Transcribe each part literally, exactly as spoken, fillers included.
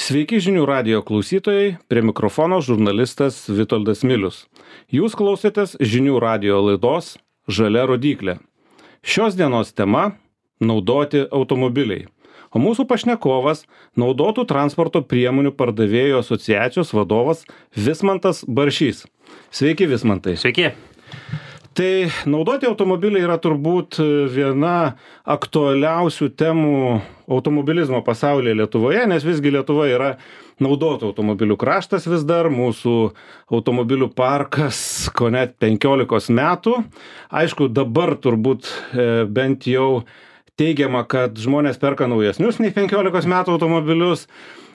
Sveiki žinių radijo klausytojai, prie mikrofono žurnalistas Vitoldas Milius. Jūs klausėtės žinių radijo laidos Žalia rodyklė. Šios dienos tema – naudoti automobiliai. O mūsų pašnekovas – naudotų transporto priemonių pardavėjų asociacijos vadovas Vismantas Baršys. Sveiki, Vismantai. Sveiki. Tai naudoti automobiliai yra turbūt viena aktualiausių temų automobilizmo pasaulyje Lietuvoje, nes visgi Lietuva yra naudotų automobilių kraštas vis dar, mūsų automobilių parkas ko net penkiolikos metų. Aišku, dabar turbūt e, bent jau teigiama, kad žmonės perka naujesnius nei penkiolikos metų automobilius.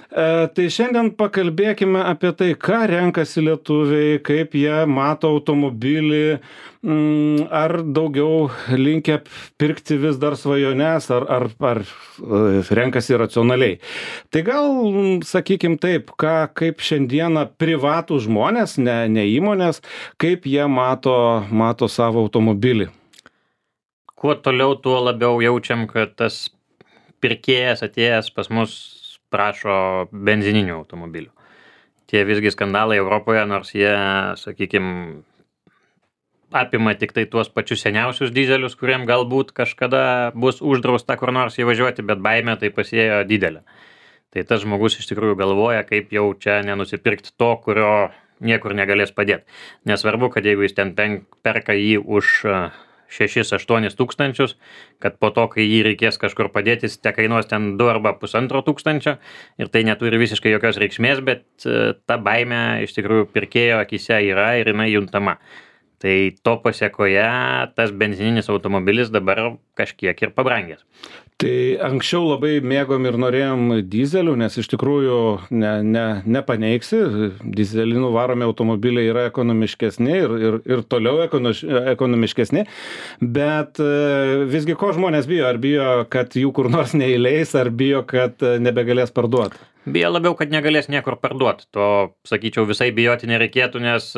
E, tai šiandien pakalbėkime apie tai, ką renkasi lietuviai, kaip jie mato automobilį, m, ar daugiau linkę pirkti vis dar svajones, ar, ar, ar renkasi racionaliai. Tai gal, sakykim taip, ką, kaip šiandieną privatų žmonės, ne, ne įmonės, kaip jie mato, mato savo automobilį. Kuo toliau, tuo labiau jaučiam, kad tas pirkėjas atėjęs pas mus prašo benzininių automobilių. Tie visgi skandalai Europoje, nors jie, sakykime, apima tik tai tuos pačius seniausius dizelius, kuriem galbūt kažkada bus uždrausta kur nors įvažiuoti, bet baimė tai pasėjo didelė. Tai tas žmogus iš tikrųjų galvoja, kaip jau čia nenusipirkti to, kurio niekur negalės padėti. Nesvarbu, kad jeigu jis ten perka jį už šešis aštuonis tūkstančius, kad po to, kai jį reikės kažkur padėti, jis te kainuos ten du arba pusantro tūkstančio ir tai neturi visiškai jokios reikšmės, bet ta baimė iš tikrųjų pirkėjo akise yra ir jinai juntama. Tai to pasiekoje tas benzininis automobilis dabar kažkiek ir pabrangęs. Tai anksčiau labai mėgom ir norėjom dizelių, nes iš tikrųjų ne, ne, nepaneigsi, dizelinų varomi automobiliai yra ekonomiškesni ir, ir, ir toliau ekonomiškesni, bet visgi ko žmonės bijo? Ar bijo, kad jų kur nors neįleis, ar bijo, kad nebegalės parduoti? Bijo labiau, kad negalės niekur parduoti. To, sakyčiau, visai bijoti nereikėtų, nes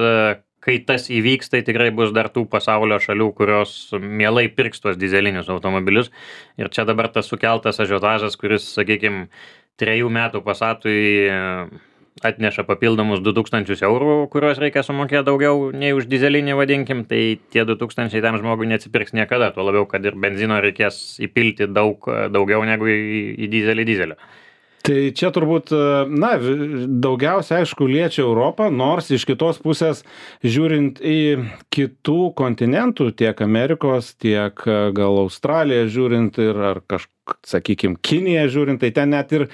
kai tas įvyks, tai tikrai bus dar tų pasaulio šalių, kurios mielai pirks tuos dizelinius automobilius. Ir čia dabar tas sukeltas ažiotažas, kuris, sakykime, trejų metų Passatui atneša papildomus du tūkstančius eurų, kuriuos reikia sumokėti daugiau nei už dizelinį, vadinkim, tai tie du tūkstančiai tam žmogui neatsipirks niekada, tuo labiau, kad ir benzino reikės įpilti daug daugiau negu į, į dizelį dizelio. Tai čia turbūt, na, daugiausia, aišku, liečia Europą, nors iš kitos pusės, žiūrint į kitų kontinentų, tiek Amerikos, tiek gal Australiją žiūrint ir ar kažkaip, sakykime, Kiniją žiūrint, tai ten net ir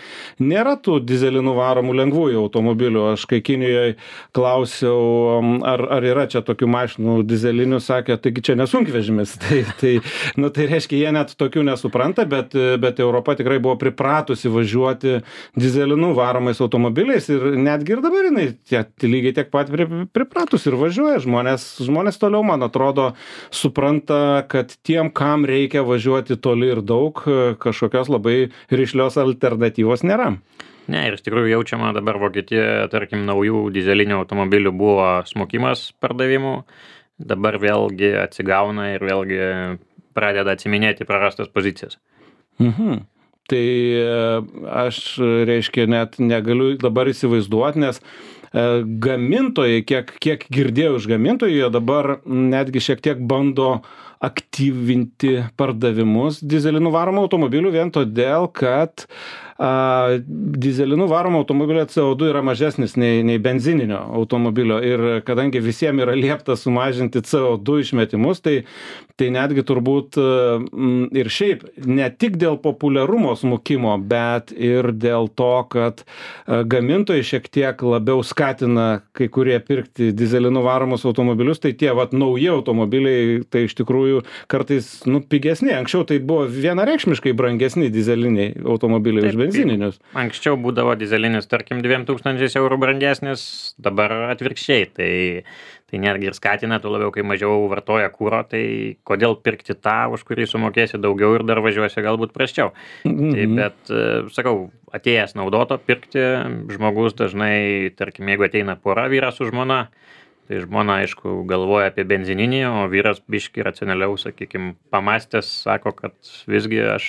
nėra tų dizelinų varomų lengvųjų automobilių. Aš kai Kinijoje klausiau, ar, ar yra čia tokių mašinų dizelinių, sakė, taigi čia nesunkvežimis. Tai, tai, nu, tai reiškia, jie net tokių nesupranta, bet, bet Europa tikrai buvo pripratusi važiuoti dizelinų varomais automobiliais ir netgi ir dabar jinai tie, lygiai tiek pat pripratus ir važiuoja. Žmonės, žmonės toliau, man atrodo, supranta, kad tiem, kam reikia važiuoti toli ir daug, kažkokios labai rišlios alternatyvos nėra. Ne, ir iš tikrųjų jaučiama dabar Vokietijoje, tarkim, naujų dizelinių automobilių buvo smokimas pardavimų, dabar vėlgi atsigauna ir vėlgi pradeda atsiminėti prarastas pozicijas. Mhm. Tai aš, reiškia, net negaliu dabar įsivaizduoti, nes gamintojai, kiek, kiek girdėjau iš gamintojų, jie dabar netgi šiek tiek bando aktyvinti pardavimus dizelinų varomų automobilių vien todėl, kad a, dizelinų varomų automobilio C O du yra mažesnis nei, nei benzininio automobilio ir kadangi visiems yra liepta sumažinti C O du išmetimus, tai, tai netgi turbūt m, ir šiaip ne tik dėl populiarumo smukimo, bet ir dėl to, kad a, gamintojai šiek tiek labiau skatina kai kurie pirkti dizelinų varomus automobilius, tai tie vat, nauji automobiliai tai iš tikrųjų kartais nu, pigesni. Anksčiau tai buvo vienareikšmiškai brangesni dizeliniai automobiliai už benzininius. Anksčiau būdavo dizelinis, tarkim, dviem tūkstančiais eurų brangesnis, dabar atvirkščiai. Tai, tai netgi ir skatina, tu labiau, kai mažiau vartoja kuro, tai kodėl pirkti tą, už kurį sumokėsi daugiau ir dar važiuosi galbūt prasčiau. Mm-hmm. Tai, bet, sakau, atėjęs naudoto pirkti, žmogus dažnai, tarkim, jeigu ateina pora vyras su žmona, tai žmona, aišku, galvoja apie benzininį, o vyras biški racionaliau, sakykime, pamastęs, sako, kad visgi aš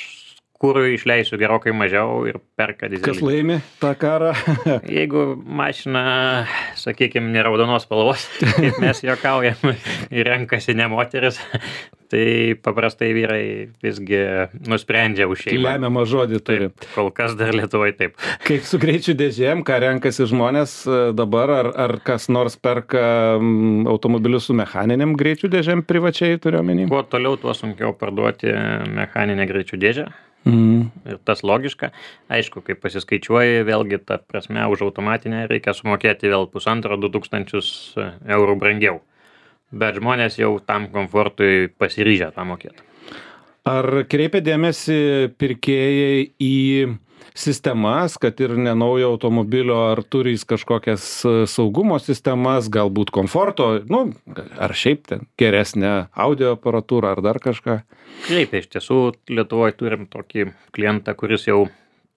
kurui išleisiu gerokai mažiau ir perka dyzelinį. Kas laimi tą karą? Jeigu mašina, sakykime, ne raudonos spalvos, kaip mes juokaujam, ir renkasi ne moteris, tai paprastai vyrai visgi nusprendžia už šeimą. Lemiamą žodį turi. Taip, kol kas dar Lietuvoje taip. Kaip su greičių dėžėm, ką renkasi žmonės dabar, ar, ar kas nors perka automobilius su mechaniniam greičių dėžėm privačiai, turiu omeny? Kuo toliau, tuo sunkiau parduoti mechaninę greičių dėžę. Mm. Ir tas logiška. Aišku, kai pasiskaičiuoji, vėlgi ta prasme už automatinę reikia sumokėti vėl pusantro du tūkstančius eurų brangiau. Bet žmonės jau tam komfortui pasiryžę tą mokėti. Ar kreipia dėmesį pirkėjai į sistemas, kad ir nenaujo automobilio, ar turi jis kažkokias saugumo sistemas, galbūt komforto, nu, ar šiaip ten geresnę audio aparatūrą, ar dar kažką? Kreipia, iš tiesų, Lietuvoje turim tokį klientą, kuris jau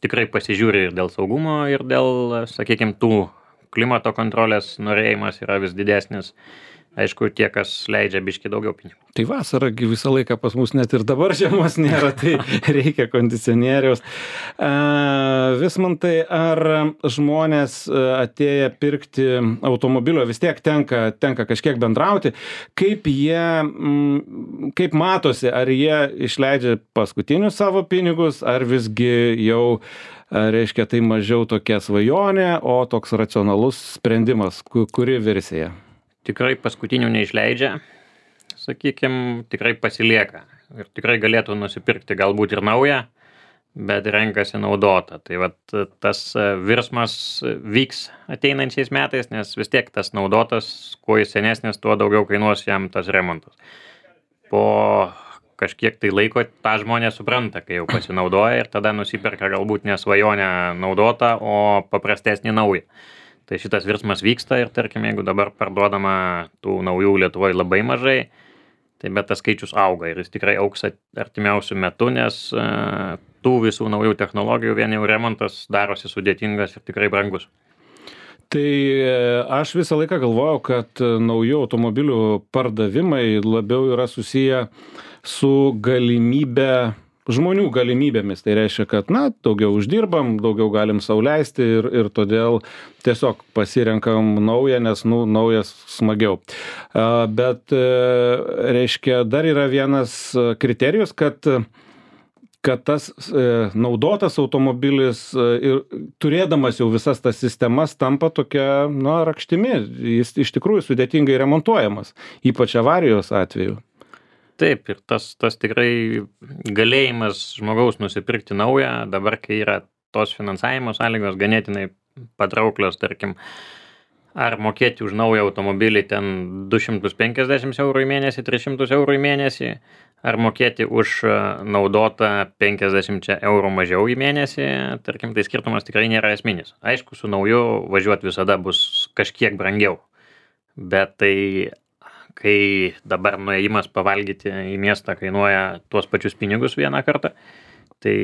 tikrai pasižiūri ir dėl saugumo, ir dėl, sakykime, tų klimato kontrolės norėjimas yra vis didesnis. Aišku, tie, kas leidžia biškį daugiau pinigų. Tai vasara visą laiką pas mus net ir dabar žiemos nėra, tai reikia kondicionieriaus. Vismantai, ar žmonės atėję pirkti automobilio, vis tiek tenka, tenka kažkiek bendrauti, kaip jie, kaip matosi, ar jie išleidžia paskutinius savo pinigus, ar visgi jau, reiškia, tai mažiau tokia svajonė, o toks racionalus sprendimas, kuri versija? Tikrai paskutinių neišleidžia, sakykime, tikrai pasilieka ir tikrai galėtų nusipirkti galbūt ir naują, bet renkasi naudotą. Tai vat tas virsmas vyks ateinančiais metais, nes vis tiek tas naudotas, kuo jis senesnis, tuo daugiau kainuos jam tas remontas. Po kažkiek tai laiko tą žmonės supranta, kai jau pasinaudoja ir tada nusiperka galbūt ne svajonę naudotą, o paprastesnį naują. Tai šitas virsmas vyksta ir, tarkim, jeigu dabar parduodama tų naujų Lietuvoje labai mažai, tai bet tas skaičius auga ir jis tikrai augs artimiausių metų, nes uh, tų visų naujų technologijų vien jau remontas darosi sudėtingas ir tikrai brangus. Tai aš visą laiką galvojau, kad naujų automobilių pardavimai labiau yra susiję su galimybė žmonių galimybėmis. Tai reiškia, kad, na, daugiau uždirbam, daugiau galim sau leisti ir, ir todėl tiesiog pasirenkam naują, nes, nu, naujas smagiau. Bet, reiškia, dar yra vienas kriterijus, kad kad tas e, naudotas automobilis e, ir turėdamas jau visas tas sistemas tampa tokia, na, rakštimi. Jis iš tikrųjų sudėtingai remontuojamas, ypač avarijos atveju. Taip, ir tas, tas tikrai galėjimas žmogaus nusipirkti naują, dabar, kai yra tos finansavimo sąlygos ganėtinai patrauklios, tarkim, ar mokėti už naują automobilį ten du šimtus penkiasdešimt eurų į mėnesį, tris šimtus eurų į mėnesį, ar mokėti už naudotą penkiasdešimt eurų mažiau į mėnesį, tarkim, tai skirtumas tikrai nėra esminis. Aišku, su nauju važiuoti visada bus kažkiek brangiau, bet tai kai dabar nuėjimas pavalgyti į miestą kainuoja tuos pačius pinigus vieną kartą, tai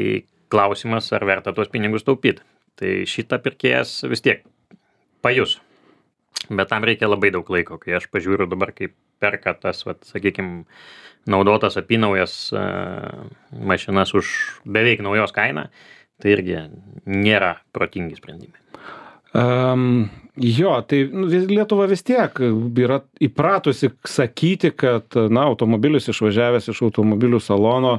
klausimas, ar verta tuos pinigus taupyti. Tai šitą pirkėjas vis tiek pajus. Bet tam reikia labai daug laiko, kai aš pažiūriu dabar, kaip perka tas, vat, sakykime, naudotas apynaujas uh, mašinas už beveik naujos kainą, tai irgi nėra protingi sprendimai. Um, jo, tai Lietuva vis tiek yra įpratusi sakyti, kad, na, automobilis išvažiavęs iš automobilių salono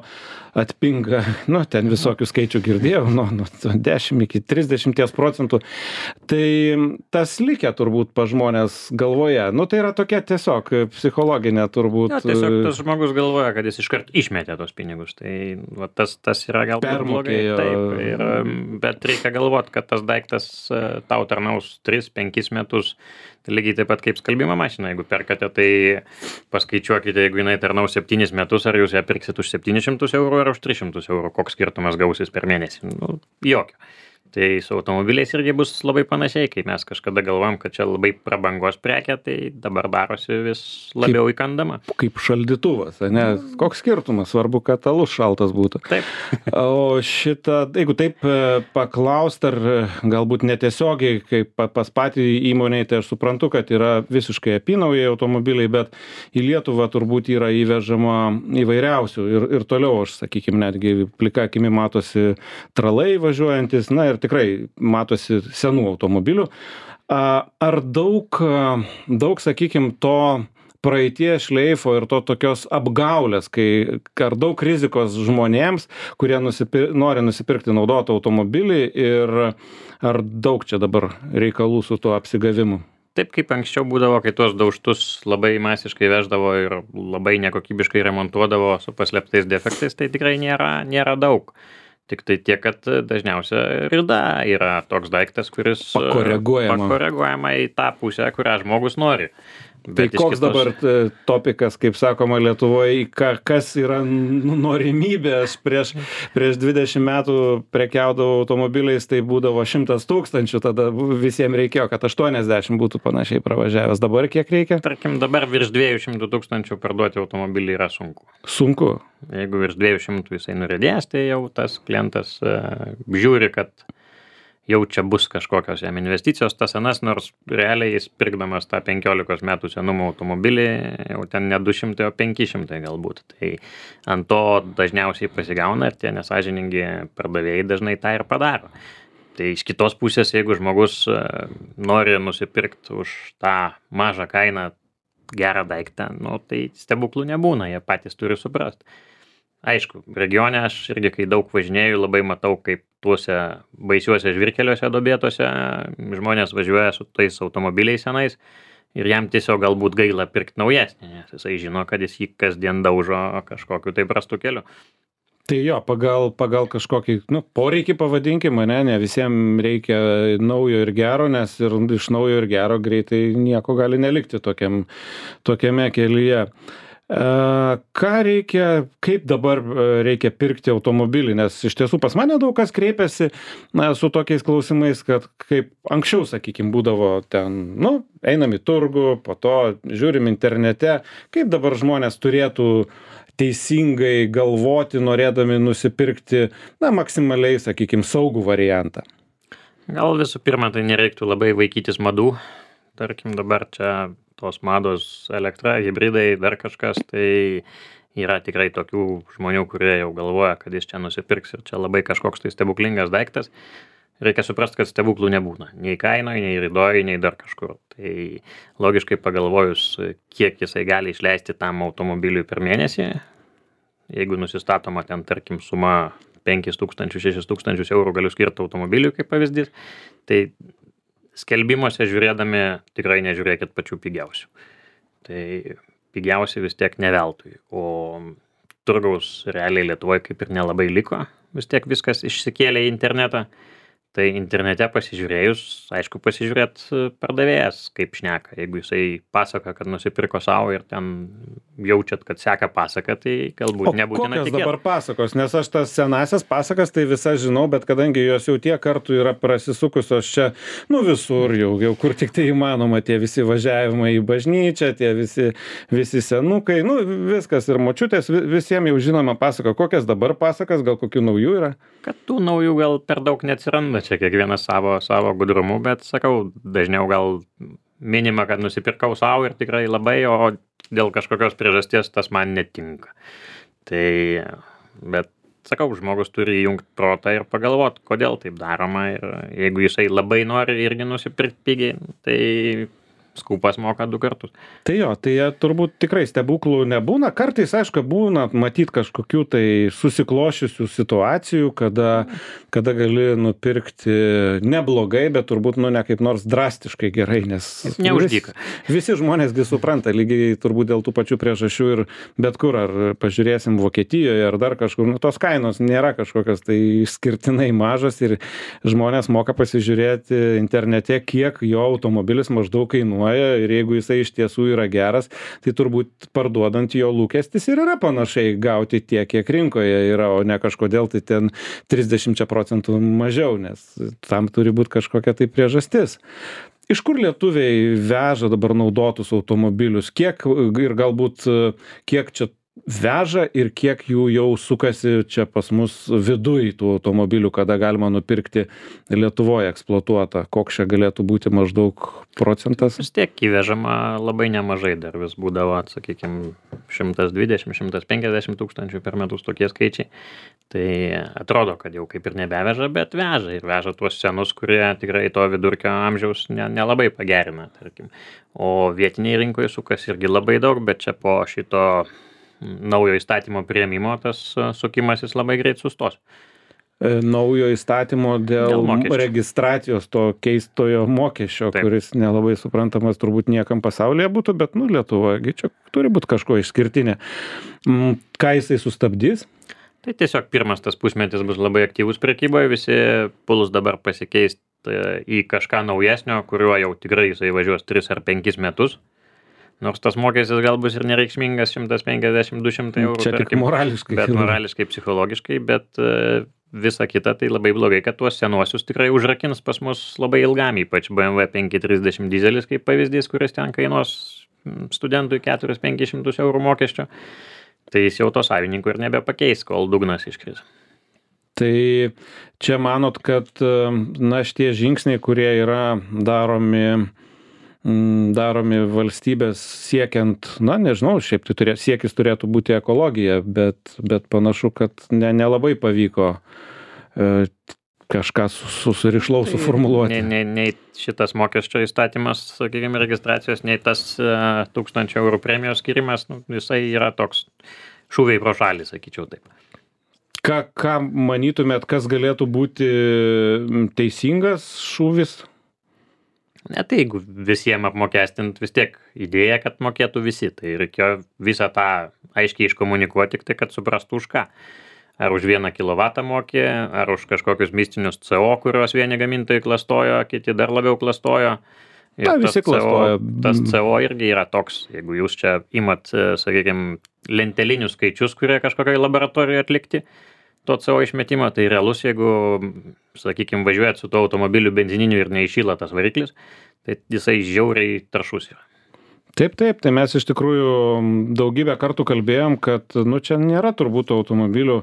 atpinga, nu, ten visokių skaičių girdėjau, nuo nu, dešimt iki trisdešimt procentų. Tai tas likę turbūt pa žmonės galvoje. Nu, tai yra tokia tiesiog psichologinė turbūt. Ja, tiesiog tas žmogus galvoja, kad jis iškart išmetė tos pinigus. Tai va, tas, tas yra galbūt blogai. Taip, ir, bet reikia galvoti, kad tas daiktas tau tarnaus tris penkis metus. Tai lygiai taip pat kaip skalbimo mašina. Jeigu perkate, tai paskaičiuokite, jeigu jinai tarnaus septynis metus, ar jūs ją pirksit už septynis šimtus eurų ar už tris šimtus eurų, koks skirtumas gausis per mėnesį. Nu, jokio. Tai su automobiliais irgi bus labai panašiai, kai mes kažkada galvojam, kad čia labai prabangos prekė, tai dabar darosi vis labiau kaip, įkandama. Kaip šaldytuvas, ne? Koks skirtumas, svarbu, kad alus šaltas būtų. Taip. O šitą, jeigu taip paklaust, ar galbūt netiesiogiai, kaip pas patį įmonėj, tai aš suprantu, kad yra visiškai apynaujai automobiliai, bet į Lietuvą turbūt yra įvežama įvairiausių ir, ir toliau, aš sakykime, netgi plika akimi matosi tralai važiuojantis, na ir tikrai matosi senų automobilių. Ar daug, daug sakykime, to praeities šleifo ir to tokios apgaulės, kai ar daug rizikos žmonėms, kurie nusipir, nori nusipirkti naudotą automobilį ir ar daug čia dabar reikalų su tuo apsigavimu? Taip kaip anksčiau būdavo, kai tuos daužtus labai masiškai veždavo ir labai nekokybiškai remontuodavo su paslėptais defektais, tai tikrai nėra, nėra daug. Tik tai tiek, kad dažniausia rida yra toks daiktas, kuris pakoreguojama, pakoreguojama į tą pusę, kurią žmogus nori. Bet tai koks kitos... dabar topikas, kaip sakoma Lietuvoje, kas yra norimybė? Aš prieš, prieš dvidešimt metų prekiaudavau automobiliais, tai būdavo šimtas tūkstančių, tada visiems reikėjo, kad aštuoniasdešimt būtų panašiai pravažiavęs. Dabar kiek reikia? Tarkim, dabar virš dviejų šimtų tūkstančių parduoti automobilį yra sunku. Sunku? Jeigu virš dviejų šimtų jisai nuridės, tai jau tas klientas uh, žiūri, kad jau čia bus kažkokios jam investicijos, tas senas, nors realiai jis pirkdamas tą penkiolikos metų senumo automobilį, jau ten ne du šimtai, o penki šimtai galbūt. Tai ant to dažniausiai pasigauna ir tie nesąžiningi pardavėjai dažnai tą ir padaro. Tai iš kitos pusės, jeigu žmogus nori nusipirkti už tą mažą kainą gerą daiktą, nu, tai stebuklų nebūna, jie patys turi suprasti. Aišku, regione aš irgi, kai daug važinėjau, labai matau, kaip tuose baisiuose žvirkeliuose dobėtose žmonės važiuoja su tais automobiliais senais ir jam tiesiog galbūt gaila pirkti naujesnį, nes jisai žino, kad jis jį kasdien daužo kažkokiu tai prastu keliu. Tai jo, pagal, pagal kažkokį, nu, poreikį pavadinkime, ne, ne visiems reikia naujo ir gero, nes ir iš naujo ir gero greitai nieko gali nelikti tokiam, tokiame kelyje. Ką reikia, kaip dabar reikia pirkti automobilį, nes iš tiesų pas mane daug kas kreipiasi na, su tokiais klausimais, kad kaip anksčiau, sakykime, būdavo ten, nu, einam į turgų, po to žiūrim internete, kaip dabar žmonės turėtų teisingai galvoti, norėdami nusipirkti, na, maksimaliai, sakykime, saugų variantą. Gal visų pirma, tai nereiktų labai vaikytis madų, tarkim, dabar čia tos mados elektra, hibridai, dar kažkas, tai yra tikrai tokių žmonių, kurie jau galvoja, kad jis čia nusipirks ir čia labai kažkoks tai stebuklingas daiktas. Reikia suprasti, kad stebuklų nebūna. Nei kainoje, nei ridoje, nei dar kažkur. Tai logiškai pagalvojus, kiek jisai gali išleisti tam automobiliui per mėnesį, jeigu nusistatoma ten, tarkim, suma penkis tūkstančius, šešis tūkstančius eurų galiu skirti automobiliui kaip pavyzdys, tai skelbimuose žiūrėdami tikrai nežiūrėkit pačių pigiausių. Tai pigiausi vis tiek ne veltui. O turgaus realiai Lietuvoje kaip ir nelabai liko. Vis tiek viskas išsikėlė į internetą. Tai internete pasižiūrėjus, aišku, pasižiūrėt pardavėjas, kaip šneka. Jeigu jisai pasaka, kad nusipirko savo ir ten jaučiat, kad seka pasaka, tai galbūt nebūtina tikėti. O kokios dabar pasakos? Nes aš tas senasias pasakas tai visas žinau, bet kadangi jos jau tiek kartų yra prasisukusios čia, nu visur jau, jau kur tik tai įmanoma, tie visi važiavimai į bažnyčią, tie visi, visi senukai, nu viskas ir močiutės, visiems jau žinoma pasaka. Kokias dabar pasakas, gal kokių naujų yra? Kad tų naujų gal per daug neatsiranda. Čia kiekvienas savo, savo gudrumu, bet sakau, dažniau gal minima, kad nusipirkau savo ir tikrai labai, o dėl kažkokios priežasties tas man netinka. Tai, bet sakau, žmogus turi įjungti protą ir pagalvoti, kodėl taip daroma ir jeigu jisai labai nori irgi nusipirkti pigiai, tai skūpas moka du kartus. Tai jo, tai turbūt tikrai stebuklų nebūna. Kartais, aišku, būna matyti kažkokių tai susiklošiusių situacijų, kada, kada gali nupirkti neblogai, bet turbūt nu ne kaip nors drastiškai gerai, nes neuždyka. Vis, visi žmonėsgi supranta, lygiai turbūt dėl tų pačių priežasčių ir bet kur, ar pažiūrėsim Vokietijoje, ar dar kažkur, nu tos kainos nėra kažkokios tai išskirtinai mažos ir žmonės moka pasižiūrėti internete, kiek jo automobilis maždaug kainuoja kainuoja ir jeigu jisai iš tiesų yra geras, tai turbūt parduodant jo lūkestis ir yra panašiai gauti tiek, kiek rinkoje yra, o ne kažkodėl tai ten trisdešimt procentų mažiau, nes tam turi būti kažkokia tai priežastis. Iš kur lietuviai veža dabar naudotus automobilius? Kiek ir galbūt kiek čia veža ir kiek jų jau sukasi čia pas mus viduj tų automobilių, kada galima nupirkti Lietuvoje eksploatuotą? Koks čia galėtų būti maždaug procentas? Vis tiek įvežama labai nemažai, dar vis būdavo, sakykime, šimtas dvidešimt šimtas penkiasdešimt tūkstančių per metus tokie skaičiai. Tai atrodo, kad jau kaip ir nebeveža, bet veža ir veža tuos senus, kurie tikrai to vidurkio amžiaus ne, nelabai pagerina, tarkim. O vietiniai rinkoje sukasi irgi labai daug, bet čia po šito naujo įstatymo priėmimo tas sukimasis labai greit sustos. Naujo įstatymo dėl, dėl registracijos to keistojo mokesčio, Taip. Kuris nelabai suprantamas turbūt niekam pasaulyje būtų, bet nu Lietuvoje čia turi būti kažko išskirtinė. Ką jisai sustabdys? Tai tiesiog pirmas tas pusmetis bus labai aktyvus prekyboje, visi puls dabar pasikeisti į kažką naujesnio, kuriuo jau tikrai jisai važiuos tris ar penkis metus. Nors tas mokestis gal bus ir nereikšmingas šimtas penkiasdešimt du šimtai eurų. Čia tik morališkai. Bet morališkai, psichologiškai, bet visa kita tai labai blogai, kad tuos senuosius tikrai užrakins pas mus labai ilgam, ypač B M W penki trisdešimt dizelis kaip pavyzdys, kuris ten kainuos studentui keturis penkis šimtus eurų mokesčio. Tai jis jau to savininkų ir nebepakeis, kol dugnas iškris. Tai čia manot, kad na šitie žingsniai, kurie yra daromi daromi valstybės siekiant, na nežinau, šiaip tai turė, siekis turėtų būti ekologija, bet, bet panašu, kad ne, nelabai pavyko e, kažką susirišlau suformuluoti. Nei, nei, nei šitas mokesčio įstatymas, sakykime, registracijos, nei tas e, tūkstančio eurų premijos skirimas, nu, visai yra toks šūviai pro šalį, sakyčiau taip. Ką, ką manytumėt, kas galėtų būti teisingas šūvis? Ne, tai jeigu visiems apmokestint, vis tiek idėja, kad mokėtų visi, tai reikėjo visą tą aiškiai iškomunikuoti, tik tai, kad suprastų už ką. Ar už vieną kilovatą mokė, ar už kažkokius mistinius C O, kuriuos vieni gamintojai klastojo, kiti dar labiau klastojo. Ir Ta, visi klastojo. Tas C O irgi yra toks, jeigu jūs čia imat, sakykime, lentelinius skaičius, kurie kažkokiai laboratorijoje atlikti, to C O išmetimo, tai realus, jeigu, sakykime, važiuojat su tuo automobiliu benzininiu ir neišyla tas variklis, tai jisai žiauriai taršus yra. Taip, taip, tai mes iš tikrųjų daugybę kartų kalbėjom, kad nu, čia nėra turbūt automobilių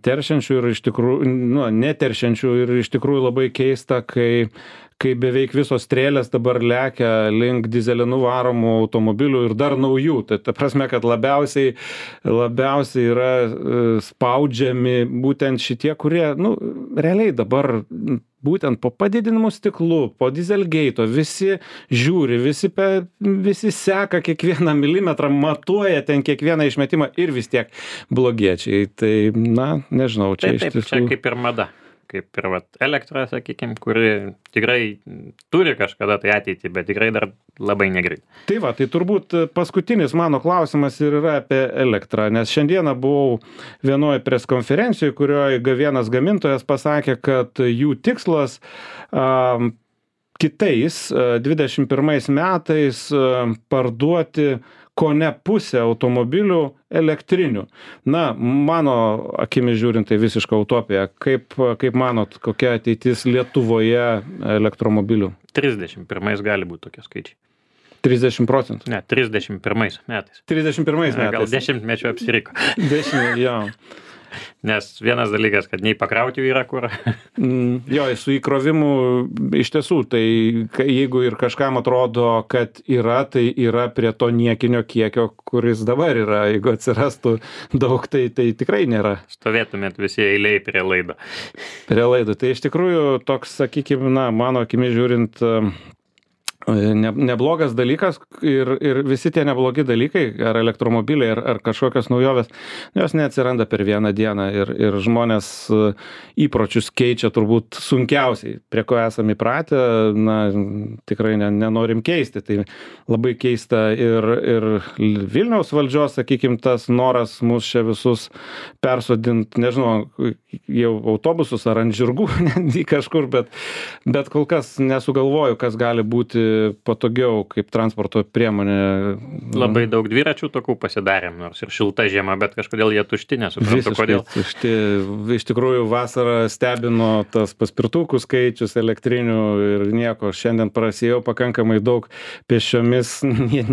teršiančių ir iš tikrųjų, nu, neteršiančių ir iš tikrųjų labai keista, kai kai beveik visos strėlės dabar lekia link dyzelinu varomų automobilių ir dar naujų. Tai ta prasme, kad labiausiai, labiausiai yra spaudžiami būtent šitie, kurie, nu, realiai dabar būtent po padidinimų stiklų, po dieselgeito, visi žiūri, visi, pe, visi seka kiekvieną milimetrą, matuoja ten kiekvieną išmetimą ir vis tiek blogiečiai. Tai, na, nežinau, čia taip, iš tiesų. Čia kaip ir mada. Kaip ir vat, elektra, sakykime, kuri tikrai turi kažkada tai ateitį, bet tikrai dar labai negreit. Tai va, tai turbūt paskutinis mano klausimas ir yra apie elektrą, nes šiandieną buvau vienoje preskonferencijoje, kurioje vienas gamintojas pasakė, kad jų tikslas a, kitais dvidešimt pirmais metais a, parduoti kone pusę automobilių elektrinių. Na, mano akimis žiūrint, tai visiška utopija. Kaip, kaip manot, kokia ateitis Lietuvoje elektromobilių? trisdešimt pirmais gali būti tokie skaičiai. trisdešimt procentų? Ne, trisdešimt pirmais metais. trisdešimt pirmais metais? Gal dešimtmečio apsiriko. Dešimt, jo. Nes vienas dalykas, kad nei pakrauti yra kur. Mm, jo, su įkrovimu iš tiesų, tai jeigu ir kažkam atrodo, kad yra, tai yra prie to niekinio kiekio, kuris dabar yra. Jeigu atsirastų daug, tai, tai tikrai nėra. Stovėtumėt visi eiliai prie laido. Prie laido. Tai iš tikrųjų toks, sakykime, na, mano akimis žiūrint, Ne, neblogas dalykas ir, ir visi tie neblogi dalykai, ar elektromobiliai, ar, ar kažkokios naujovės, jos neatsiranda per vieną dieną ir, ir žmonės įpročius keičia turbūt sunkiausiai, prie ko esame įpratę, na, tikrai ne, nenorim keisti. Tai labai keista ir, ir Vilniaus valdžios, sakykime, tas noras mus čia visus persodinti, nežinau, jau autobusus ar ant žirgų, netgi kažkur, bet, bet kol kas nesugalvoju, kas gali būti patogiau kaip transporto priemonė. Labai daug dviračių takų pasidarėm, nors ir šilta žiema, bet kažkodėl jie tušti, nesuprantu kodėl. Tušti. Iš tikrųjų vasarą stebino tas paspirtukų skaičius elektrinių ir nieko. Šiandien prasėjau pakankamai daug pėsčiomis,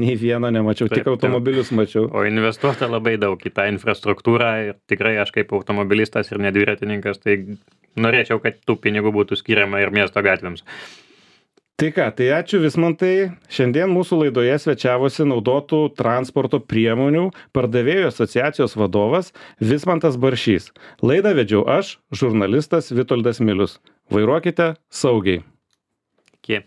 nei vieno nemačiau, Taip, tik automobilius mačiau. O investuota labai daug į tą infrastruktūrą ir tikrai aš kaip automobilistas ir nedviratininkas, tai norėčiau, kad tų pinigų būtų skiriama ir miesto gatvėms. Tai ką, tai ačiū Vismantai. Šiandien mūsų laidoje svečiavosi naudotų transporto priemonių pardavėjų asociacijos vadovas Vismantas Baršys. Laidą vedžiau aš, žurnalistas Vitoldas Milius. Vairuokite saugiai. Iki.